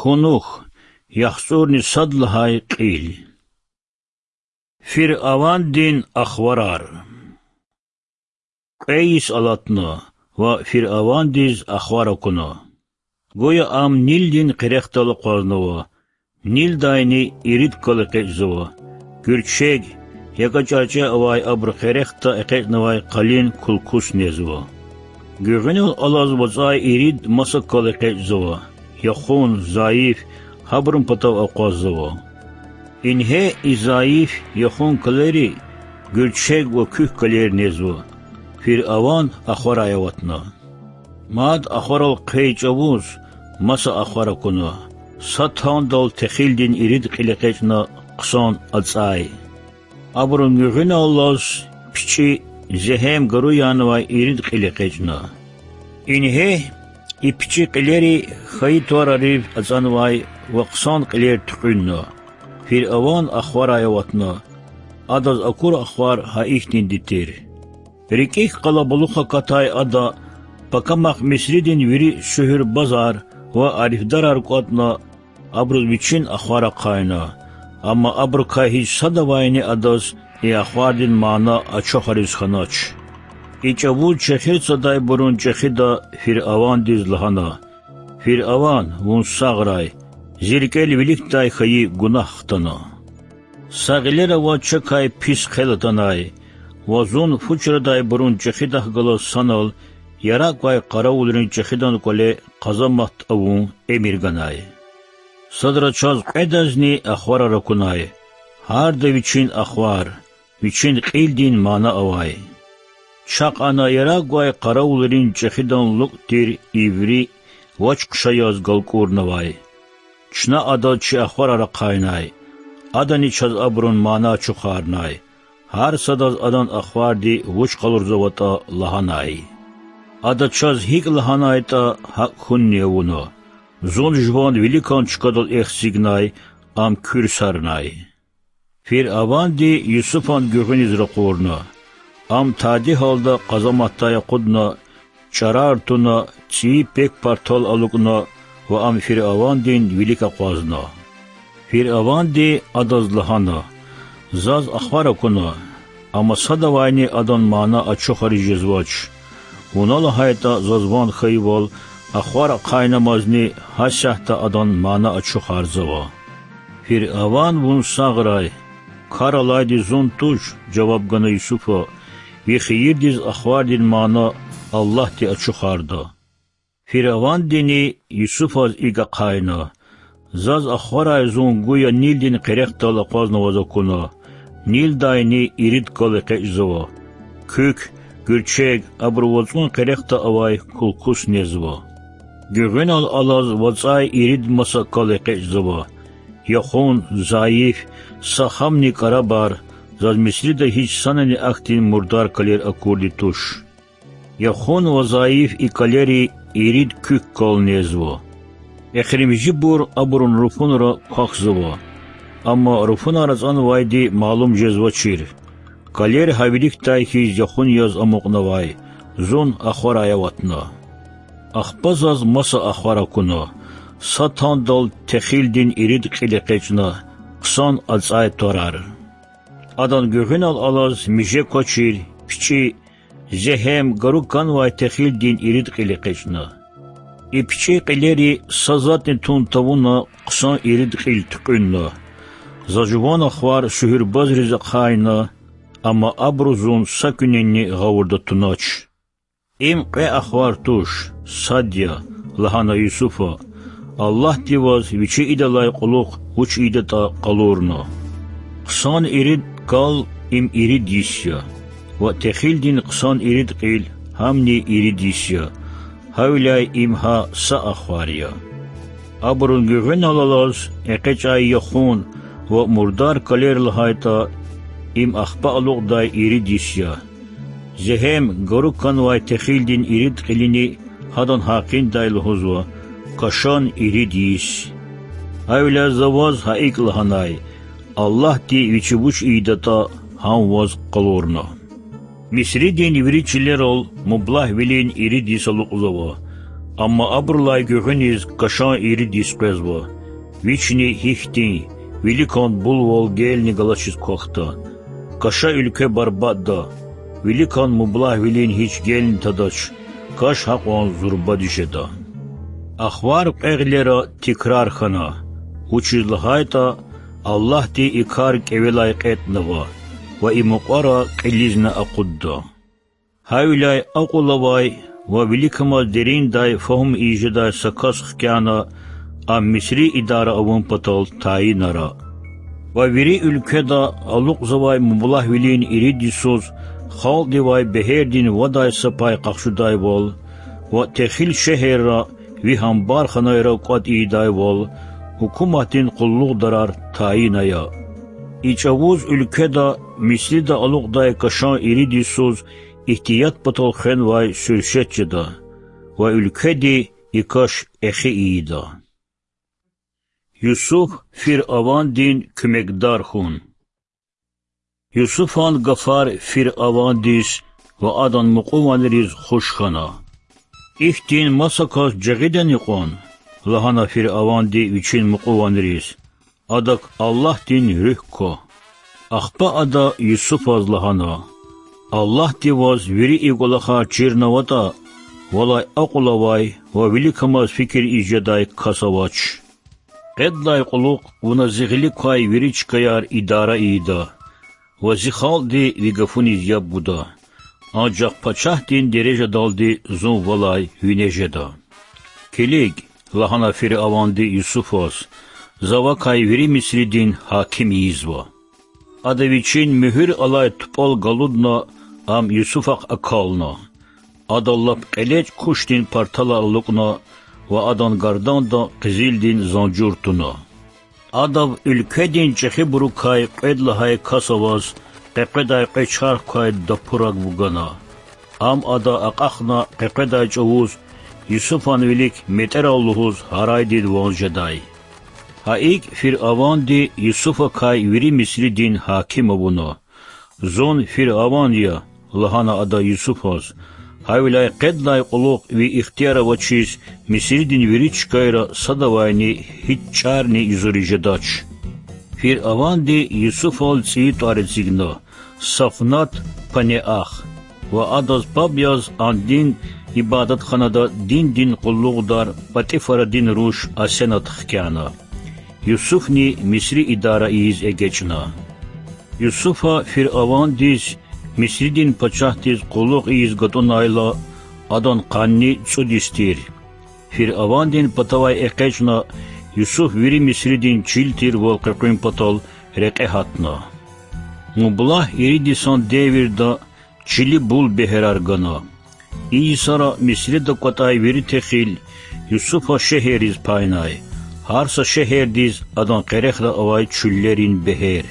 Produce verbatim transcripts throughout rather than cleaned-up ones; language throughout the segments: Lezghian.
Кунух, яхцӀурни сад лагьай кьил. Фиръавандин ахварар. Кьве йис алатна ва Фиръавандиз ахвар акуна. Гуя ам Нилдин къерехдал акъвазнава, Нилдайни ирид кал экъечӀзава, гуьрчег, якӀа чӀарчӀе авай абурун къерехда экъечӀнавай къалин кулкус незва. Гуьгъуьнал алаз вацӀай ирид маса кал экъечӀзава, яхун, зайиф, гьабурун патав акъваззава. Ингье и зайиф, яхун калери гуьрчег ва куьк калер незва. Фиръаван ахварай аватна. Мад ахварал хъвей чӀавуз маса ахвар акуна, са тандал техилдин ирид кьил экъечӀна хъсан ацӀай. Абурун гуьгъуьналлаз пичӀи, зегьем, гару янавай ирид кьил экъечӀна. Ингье и пичӀи кьилери хьайи тӀварарив ацӀанвай ва хъсан кьилер туькьуьнна. Фиръаван ахварай аватна. Адаз акур ахвар гьа ихьтинди тир. РикӀик къалабулух акатай ада пакамахъ Мисридин вири суьгьуьрбазар ва арифдарар кӀватӀна, абуруз вичин ахвар ахъайна, амма абурукай гьич садавайни адаз и ахвардин мана ачухариз хьанач. И чӀавуз чехир цадайбурун чӀехида Фиръавандиз лагьана: Фиръаван, вун сагърай, зи рикӀел виликдай хьайи гунагь хтана. Са гъилера ваз чакай пис хъел атанай ва зун фу чрадайбурун чӀехидахъ галаз санал яракь квай къаравулрин чӀехидан кӀвале къазамат авун эмир ганай. Садра чаз кьведазни ахварар акунай, гьарда вичин ахвар, вичин кьилдин мана авай. Чахъ ана яракь квай къаравулрин чӀехидан лукӀ тир иври вач хъша яз галкӀурнавай. Чна адаз чи ахварар ахъайнай. Адани чаз абурун мана ачухарнай, гьар садаз адан ахварди вуч къалурзаватӀа лагьанай. Ада чаз гьикӀ лагьанайтӀа, гьакӀ хьунни авуна. Зун жуван виликан чкадал эхзигнай, ам куьрсарнай. Фиръаванди Юсуфан гуьгъуьниз ракъурна. Ам тади гьалда къазаматдай акъудна, чӀарар туна, цӀийи пек-партал алукӀна ва ам Фиръавандин вилик акъвазна. Фиръаванди адаз лагьана: Заз ахвар акуна, амма садавайни адан мана ачухариз жезвач. Вуна лагьайтӀа, заз ван хьайивал, ахвар ахъайнамазни гьасятда адан мана ачухарзава. Фиръаван, вун сагърай, кар алайди зун туш,— жаваб гана Юсуфа,— ви хийирдиз ахвардин мана Аллагьди ачухарда. Фиръавандини Юсуфаз икӀ ахъайна: Заз ахварай зун гуя Нилдин къерехдал акъвазнаваз акуна. Нилдайни ирид кал экъечӀзава. Куьк, гуьрчег, абуру вацӀун къерехда авай кулкус незва. Гуьгъуьнал алаз вацӀай ирид маса кал экъечӀзава. Яхун, зайиф, са хамни кӀарабар, заз Мисрида гьич санани ахьтин мурдар калер акурди туш. Яхун ва зайиф и калери ирид куьк кал незва. Эхиримжибур абурун руфунра квахьзава. Амма руфунар ацӀанвайди малум жезвачир. Калер гьа виликдай хьиз яхун яз амукьнавай. Зун ахварай аватна. Ахпа заз маса ахвар акуна: са тандал техилдин ирид кьил экъечӀна, хъсан ацӀай тӀварар. Адан гуьгъуьнал алаз миже квачир пичӀи, зегьем, гару канвай техилдин ирид кьил экъечӀна. И пичӀи кьилери са затӀни тун тавуна, хъсан ирид кьил туькьуьнна. За жуван ахвар суьгьуьрбазриз ахъайна, амма абуру зун са куьнени гъавурда тунач. Им кьве ахвар туш, сад я,— лагьана Юсуфа. Аллагьди ваз вичи идалай кьулухъ вуч ийидатӀа къалурна. Хъсан ирид кал— им ирид йис я, ва техилдин хъсан ирид кьил— гьамни ирид йис я, гьавиляй им гьа са ахвар я. Абурун гуьгъуьнал алаз экъечӀай яхун ва мурдар калер лагьайтӀа, им ахпа алукьдай ирид йис я. Зегьем, гару канвай техилдин ирид кьилини гьадан гьакъиндай лугьузва: кашан ирид йис. Гьавиляй за ваз гьа икӀ лагьанай: Аллагьди вичи вуч ийидатӀа, гьам ваз къалурна. Мисридин вири чилерал мублагьвилин ирид йис алукьзава. Амма абурулай гуьгъуьниз кашан ирид йис къвезва. Вични гьихьтин, виликан булвал гелни галачиз квахьда. Каша уьлкве барбатӀда, виликан мублагьвилин гьич гелни тадач, каш гьакьван зурбади жеда. Ахвар кьве гъилера тикрар хьана, вучиз лагьайтӀа Аллагьди и кар кӀевелай кьетӀнава ва и мукьвара кьилизни акъудда. Гьавиляй акьул авай ва виликамаз дериндай фагьум ийиз жедай са кас хкяна, ам Мисри идара авун патал тайинара. Ва вири уьлкведа алукьзавай мублагьвилин ирид йисуз халкьдивай бегьердин вадай са пай къахчудайвал ва техил шегьерра ви гьамбарханайра кӀватӀ ийидайвал гьукуматдин къуллугъдарар тайин ая. И чӀавуз уьлкведа Мисрида алукьдай кашан ирид йисуз игьтият патал хвенвай суьршет жеда ва уьлкведи и каш эхи ийида. Юсуф фиръавандин куьмекдар хьун. Юсуфан гафар фиръавандиз ва адан мукьуванриз хуш хьана. Ихьтин маса кас жагъидани кьван? Лагьана фиръаванди вичин мукьуванриз. Адак Аллагьдин руьгь ква. Ахпа ада Юсуфаз лагьана: Аллагьди ваз вири и кӀвалахар чирнаватӀа, валай акьул авай ва виликамаз фикир ийиз жедай кас авач. Кьвед лагьай кьулухъ вуна зи гъилик квай вири чкаяр идара ийида ва зи халкьди ви гафуниз яб гуда, анжах пачагьдин дережадалди зун валай вине жеда. Килиг,— лагьана фиръаванди Юсуфаз,— за вакай вири Мисридин гьаким ийизва. Ада вичин муьгьуьр алай тупӀал галудна, ам Юсуфахъ акална. Ада лап кьелечӀ кушдин парталар алукӀна ва адан гарданда къизилдин занжур туна. Адав уьлкведин чӀехибурукай кьвед лагьай кас аваз къекъведай кьве чарх квай дапураг вугана. Ам ада акьахна къекъведай чӀавуз Юсуфан вилик метӀерал лугьуз гьарайдин ван жедай. Гьа икӀ фиръаванди Юсуфакай вири Мисридин гьаким авуна. Зун фиръаван я,— лагьана ада Юсуфаз,— гьавиляй кьвед лагьай кьулухъ ви ихтияр авачиз Мисридин вири чкайра садавайни гьич чӀарни юзуриз жедач. Фиръаванди Юсуфал цӀийи тӀвар эцигна: Сафнат-Панеах, ва адаз паб яз андин ибадатханада диндин къуллугъдар ПатӀифарадин руш Асенат хкяна. Юсуфни Мисри идара ийиз эгечӀна. Юсуфа фиръавандиз Мисридин пачагьдиз къуллугъ ийиз гатӀунайла, адан къанни цӀуд йис тир. Фиръавандин патавай экъечӀна, Юсуф вири Мисридин чил тирвал къекъуьн патал рекье гьатна. Мублагь ирид йисан девирда чили бул бегьерар гана. И йисара Мисрида кӀватӀай вири техил Юсуфа шегьерриз пайнай, гьар са шегьердиз адан къерехда авай чуьллерин бегьер.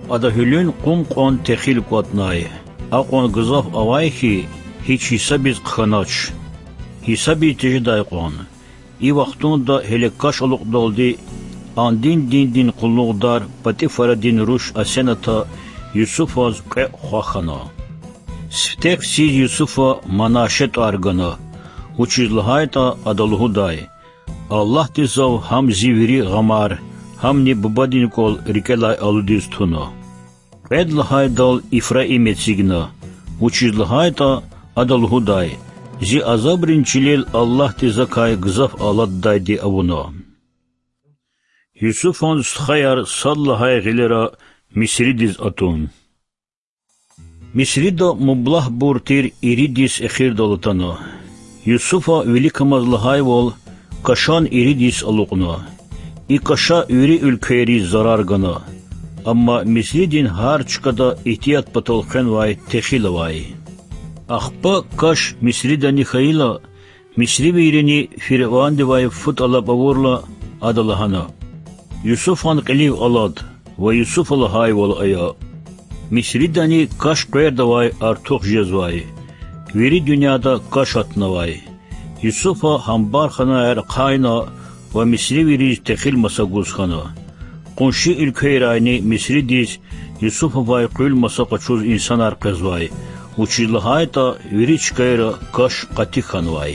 Ада гьуьлуьн кьун кьван техил кӀватӀнай, акьван гзаф авай хьи, гьич гьисабиз хъхьанач. Гьисабиз тежедай кьван. И вахтунда гьеле каш алукьдалди андин диндин къуллугъдар ПатӀифарадин руш Асената Юсуфаз кьве хва хьана. Сифте хциз Юсуфа Манаше тӀвар гана, вучиз лагьайтӀа ада лугьудай: Аллагьди зав гьам зи вири гъамар, гьамни бубадин кӀвал рикӀелай алудиз туна. Кьвед лагьайдал Ифраим эцигна, вучиз лагьайтӀа ада лугьудай: Зи азабрин чилел Аллагьди закай гзаф алатдайди авуна. Юсуфан стхаяр сад лагьай гъилера Мисридиз атун. Мисрида мублагьбур тир ирид йис эхирдал атана. Юсуфа виликамаз лагьайвал, кашан ирид йис алукьна. И каша вири уьлквейриз зарар гана. Амма Мисридин гьар чкада игьтият патал хвенвай техил авай. Ахпа каш Мисридани хьайила, мисривийрини фиръавандивай фу тӀалаб авурла, ада лагьана: Юсуфан кьилив алад ва Юсуфа лагьайвал ая. Мисридани каш къвердавай артух жезвай. Вири дуьньяда каш атунвай. Юсуфа гьамбарханаяр ахъайна ва мисривийриз техил маса гуз хьана. Къунши уьлквейрайни Мисридиз Юсуфавай къуьл маса къачуз инсанар къвезвай, вучиз лагьайтӀа вири чкайра каш къати хьанвай.